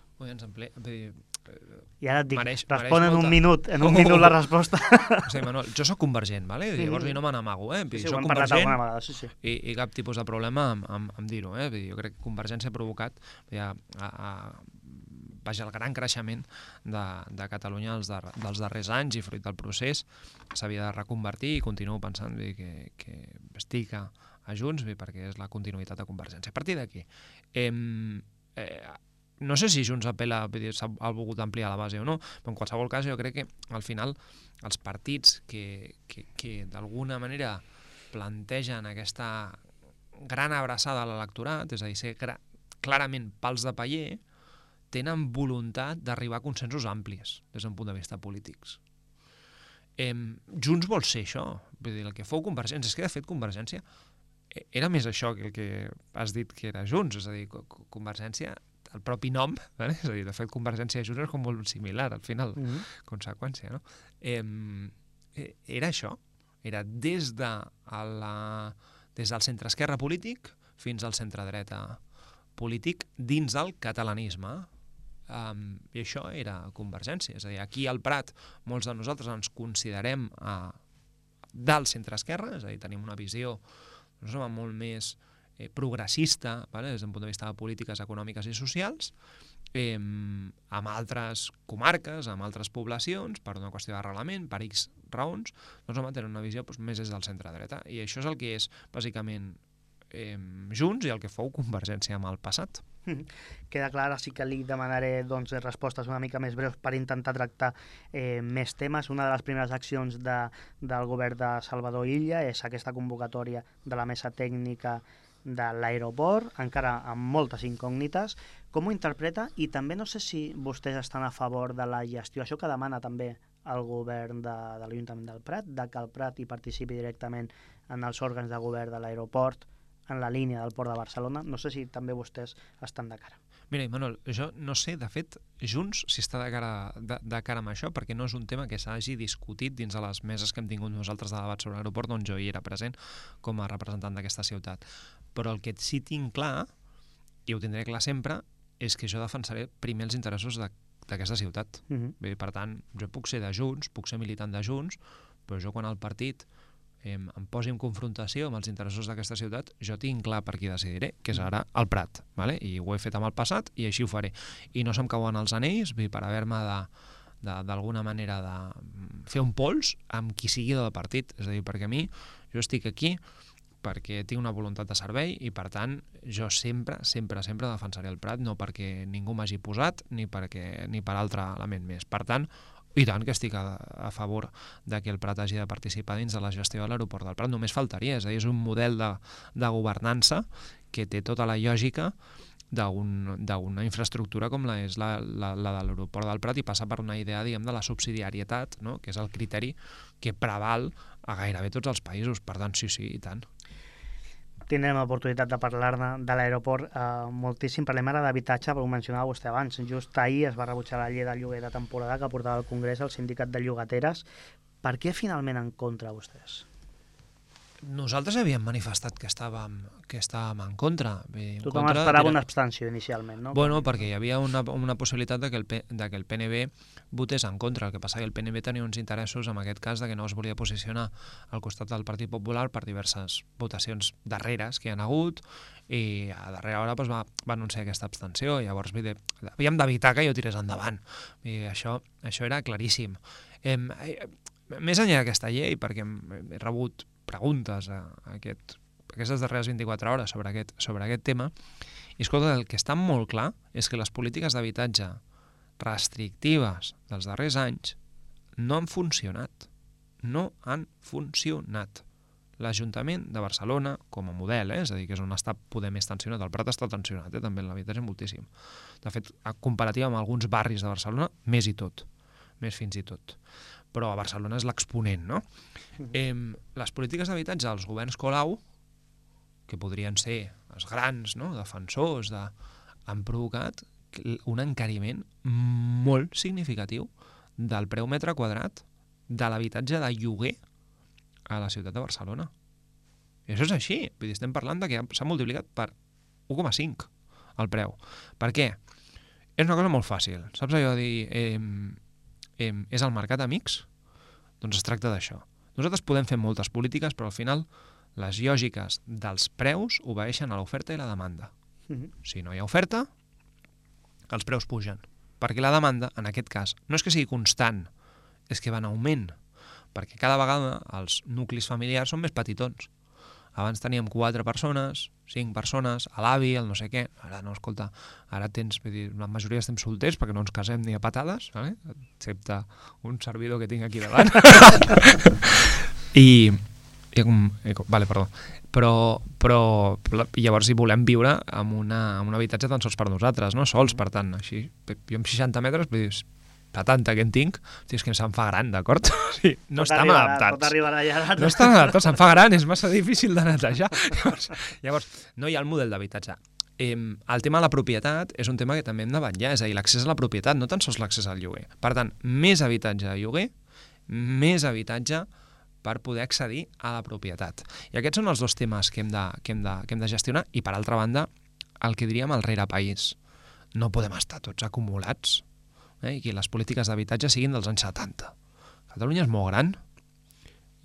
I ara et dic, respon en un minut la resposta. Sí, Manuel, jo soc convergent, ¿vale? Llavors no me n'amago, Sí, soc convergent i cap tipus de problema amb dir-ho. Jo crec que Convergència ha provocat el gran creixement de Catalunya dels darrers anys i fruit del procés s'havia de reconvertir i continuo pensant que estic a Junts perquè és la continuïtat de Convergència. A partir d'aquí, no sé si Junts ha volgut ampliar la base o no, però en qualsevol cas jo crec que al final els partits que d'alguna manera plantegen aquesta gran abraçada a l'electorat, és a dir, ser clarament pals de paller, tenen voluntat d'arribar a consensos amplis des d'un punt de vista polítics. Junts vol ser això, vull dir, el que fou Convergència, és que de fet Convergència era més això que el que has dit que era Junts, és a dir, Convergència, el propi nom, és a dir, de fet Convergència i Junts és com molt similar al final, conseqüència, no? Era això, era des del centre-esquerra polític fins al centre-dreta polític dins del catalanisme. I això era Convergència. És a dir, aquí al Prat molts de nosaltres ens considerem del centre-esquerra, és a dir, tenim una visió molt més progressista des d'un punt de vista de polítiques econòmiques i socials, amb altres comarques, amb altres poblacions, per una qüestió de reglament, per X raons, doncs tenen una visió més des del centre-dreta. I això és el que és, bàsicament, Junts i el que fou Convergència amb el passat. Queda clar, sí que li demanaré respostes una mica més breus per intentar tractar més temes. Una de les primeres accions del govern de Salvador Illa és aquesta convocatòria de la mesa tècnica de l'aeroport, encara amb moltes incògnites. Com ho interpreta? I també no sé si vostès estan a favor de la gestió, això que demana també el govern de l'Ajuntament del Prat, de que el Prat hi participi directament en els òrgans de govern de l'aeroport, en la línia del Port de Barcelona. No sé si també vostès estan de cara. Mira, Manuel, jo no sé, de fet, Junts si està de cara amb això, perquè no és un tema que s'hagi discutit dins de les meses que hem tingut nosaltres de debat sobre l'aeroport, on jo hi era present com a representant d'aquesta ciutat. Però el que sí tinc clar, i ho tindré clar sempre, és que jo defensaré primer els interessos d'aquesta ciutat. Per tant, jo puc ser de Junts, puc ser militant de Junts, però jo quan el partit em posi en confrontació amb els interessos d'aquesta ciutat, jo tinc clar per qui decidiré, que és ara el Prat, vale? I ho he fet amb el passat i així ho faré. I no se'm cauen els anells per haver-me d'alguna manera de fer un pols amb qui sigui del partit. És a dir, perquè a mi, jo estic aquí perquè tinc una voluntat de servei i, per tant, jo sempre defensaré el Prat, no perquè ningú m'hagi posat ni per altre element més. Per tant, i tant que estic a favor de que el Prat hagi de participar dins de la gestió de l'aeroport del Prat. Només faltaria, és a dir, és un model de governança que té tota la lògica d'una infraestructura com és la de l'aeroport del Prat i passa per una idea, diguem, de la subsidiarietat, no? Que és el criteri que preval a gairebé tots els països. Per tant, sí, i tant. Tindrem l'oportunitat de parlar-ne de l'aeroport moltíssim. Parlem ara d'habitatge, però ho mencionava vostè abans. Just ahir es va rebutjar la llei del lloguer de temporada que portava al Congrés el sindicat de llogateres. Per què finalment en contra vostès? Nosaltres havíem manifestat que estàvem en contra. Tothom esperava una abstenció inicialment, no? Bueno, perquè hi havia una possibilitat de que el PNB votés en contra. El que passa que el PNB tenia uns interessos, en aquest cas, de que no es volia posicionar al costat del Partit Popular per diverses votacions darreres que hi ha hagut, i a darrera hora va anunciar aquesta abstenció. Llavors havíem d'evitar que jo tirés endavant. I això era claríssim. Més enllà d'aquesta llei, perquè he rebut preguntes aquestes darreres 24 hores sobre aquest tema, i escolta, el que està molt clar és que les polítiques d'habitatge restrictives dels darrers anys no han funcionat. No han funcionat. L'Ajuntament de Barcelona, com a model, és a dir, que és on està poder més tensionat, el Prat està tensionat, també en l'habitatge moltíssim. De fet, comparativa amb alguns barris de Barcelona, més fins i tot. Però a Barcelona és l'exponent, no? Les polítiques d'habitatge dels governs Colau, que podrien ser els grans, no?, defensors, han provocat un encariment molt significatiu del preu metre quadrat de l'habitatge de lloguer a la ciutat de Barcelona. I això és així. Vull dir, estem parlant de que s'ha multiplicat per 1,5 el preu. Per què? És una cosa molt fàcil. Saps allò de dir és el mercat amics? Doncs es tracta d'això. Nosaltres podem fer moltes polítiques, però al final les lògiques dels preus obeeixen a l'oferta i la demanda. Si no hi ha oferta, els preus pugen. Perquè la demanda, en aquest cas, no és que sigui constant, és que va en augment. Perquè cada vegada els nuclis familiars són més petitons. Abans teníem 4 persones, 5 persones, a l'avi, el no sé què. Ara no, escolta, ara la majoria estem solters perquè no ens casem ni a patades, excepte un servidor que tinc aquí davant. Vale, perdó. Però llavors hi volem viure en un habitatge tan sols per nosaltres, no sols, per tant, així, jo amb 60 metres, vull dir, la tanta que en tinc, és que se'm fa gran, d'acord? Sí, no estem adaptats. Pot arribar allà. No estem adaptats, se'm fa gran, és massa difícil de netejar. Llavors, no hi ha el model d'habitatge. El tema de la propietat és un tema que també hem de vetllar, és a dir, l'accés a la propietat, no tan sols l'accés al lloguer. Per tant, més habitatge de lloguer, més habitatge per poder accedir a la propietat. I aquests són els dos temes que hem de gestionar, i per altra banda, el que diríem el rerepaís. No podem estar tots acumulats i que les polítiques d'habitatge siguin dels anys 70. Catalunya és molt gran,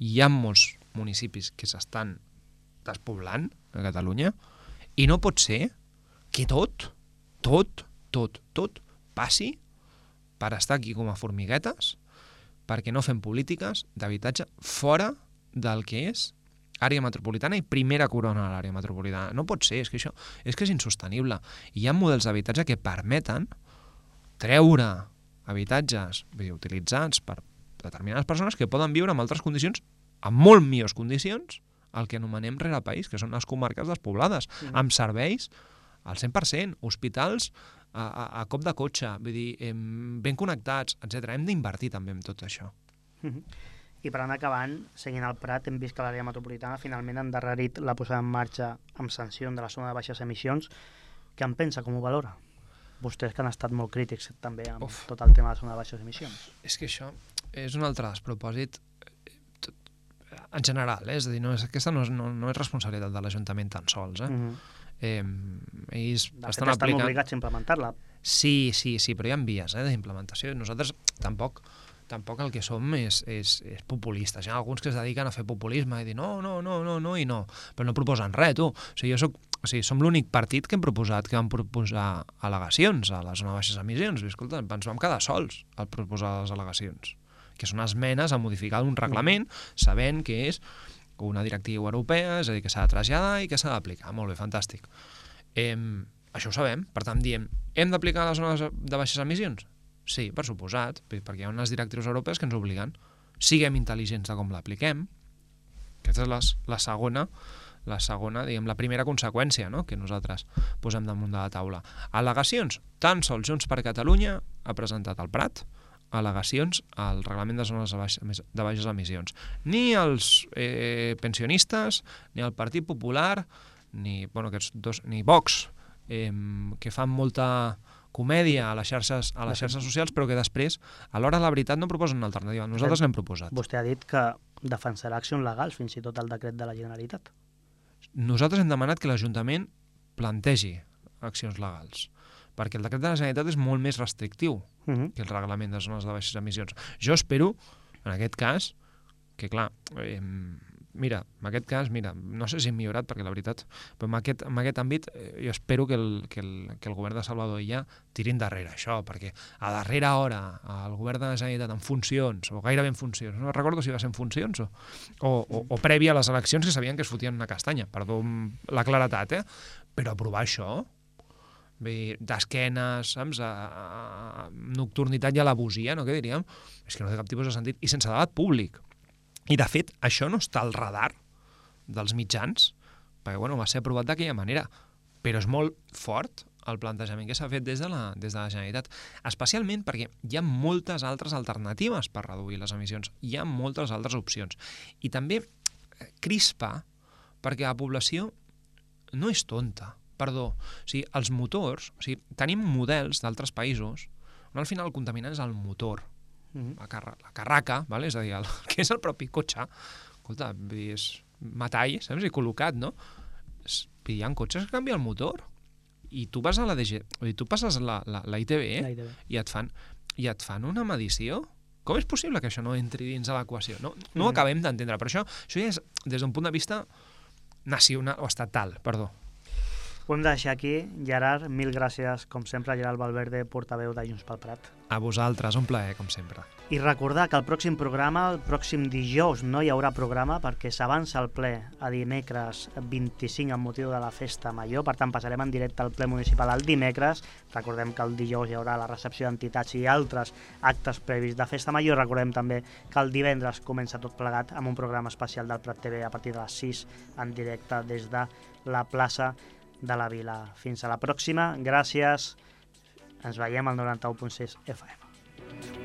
hi ha molts municipis que s'estan despoblant a Catalunya, i no pot ser que tot passi per estar aquí com a formiguetes, perquè no fem polítiques d'habitatge fora del que és àrea metropolitana i primera corona de l'àrea metropolitana. No pot ser, és que és insostenible. Hi ha models d'habitatge que permeten treure habitatges utilitzats per determinades persones que poden viure en altres condicions, en molt millors condicions, el que anomenem rerepaís, que són les comarques despoblades, amb serveis al 100%, hospitals a cop de cotxe, vull dir, ben connectats, etc. Hem d'invertir també en tot això. I per anar acabant, seguint el Prat, hem vist que l'àrea metropolitana finalment ha endarrerit la posada en marxa amb sanció de la zona de baixes emissions. Què en pensa, com ho valora? Vostès que han estat molt crítics també amb tot el tema de la zona de baixes emissions. És que això és un altre despropòsit en general, és a dir, aquesta no és responsabilitat de l'Ajuntament tan sols. Ells estan obligats a implementar-la. Sí, però hi ha vies d'implementació. Nosaltres tampoc el que som és populistes. Hi ha alguns que es dediquen a fer populisme i dir no, i no, però no proposen res, tu. Som l'únic partit que vam proposar al·legacions a la zona de baixes emissions. I, escolta, ens vam quedar sols al proposar les al·legacions, que són esmenes a modificar un reglament sabent que és una directiva europea, és a dir, que s'ha de traslladar i que s'ha d'aplicar. Molt bé, fantàstic. Això ho sabem, per tant diem, hem d'aplicar les zones de baixes emissions? Sí, per suposat, perquè hi ha unes directrius europees que ens obliguen. Siguem intel·ligents de com l'apliquem. Aquesta és la segona, diguem, la primera conseqüència, no?, que nosaltres posem damunt de la taula. Al·legacions, tan sols Junts per Catalunya ha presentat al Prat al·legacions al reglament de zones de baixes emissions. Ni els pensionistes, ni el Partit Popular, ni Vox, que fan molta comèdia a les xarxes socials, però que després, a l'hora de la veritat, no proposen una alternativa. Nosaltres l'hem proposat. Vostè ha dit que defensarà accions legals, fins i tot el decret de la Generalitat. Nosaltres hem demanat que l'Ajuntament plantegi accions legals, perquè el decret de la Generalitat és molt més restrictiu que el reglament de zones de baixes emissions. Jo espero, en aquest cas, que clar, no sé si hem millorat, perquè la veritat, però en aquest àmbit jo espero que el govern de Salvador Illa tiri endarrere això, perquè a darrera hora el govern de la Generalitat en funcions, o gairebé en funcions, no recordo si va ser en funcions o prèvia a les eleccions, que sabien que es fotien una castanya, perdó la claretat, però aprovar això d'esquenes, saps, nocturnitat i alabosia, no, què diríem? És que no té cap tipus de sentit, i sense debat públic. I, de fet, això no està al radar dels mitjans, perquè va ser aprovat d'aquella manera, però és molt fort el plantejament que s'ha fet des de la Generalitat, especialment perquè hi ha moltes altres alternatives per reduir les emissions, hi ha moltes altres opcions. I també crispa perquè la població no és tonta. Perdó, els motors, tenim models d'altres països on al final el contaminant és el motor, la carraca, és a dir, el que és el propi cotxe. Escolta, és metall, saps, i col·locat, no? Hi ha cotxes que canvien el motor i tu vas a la DG, tu passes la ITV i et fan una medició. Com és possible que això no entri dins de l'equació? No ho acabem d'entendre, però això ja és des d'un punt de vista nacional o estatal, perdó. Ho hem de deixar aquí. Gerard, mil gràcies, com sempre, Gerard Valverde, portaveu de Junts pel Prat. A vosaltres, un plaer, com sempre. I recordar que el pròxim programa, el pròxim dijous, no hi haurà programa perquè s'avança el ple a dimecres 25 amb motiu de la Festa Major, per tant passarem en directe al ple municipal el dimecres. Recordem que el dijous hi haurà la recepció d'entitats i altres actes previs de Festa Major. Recordem també que el divendres comença tot plegat amb un programa especial del Prat TV a partir de les 6 en directe des de la plaça de la Vila. Fins a la pròxima, gràcies, ens veiem al 91.6 FM.